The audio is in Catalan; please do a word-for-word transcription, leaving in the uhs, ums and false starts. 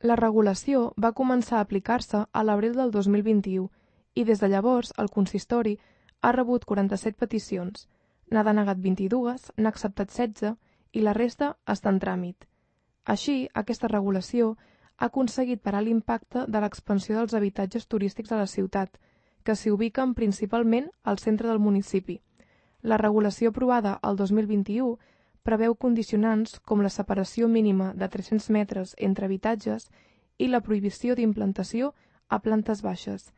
La regulació va començar a aplicar-se a l'abril del dos mil vint-i-u i des de llavors el consistori ha rebut quaranta-set peticions, n'ha denegat vint-i-dues, n'ha acceptat setze i la resta està en tràmit. Així, aquesta regulació ha aconseguit parar l'impacte de l'expansió dels habitatges turístics a la ciutat, que s'hi ubiquen principalment al centre del municipi. La regulació aprovada el dos mil vint-i-u preveu condicionants com la separació mínima de tres-cents metres entre habitatges i la prohibició d'implantació a plantes baixes,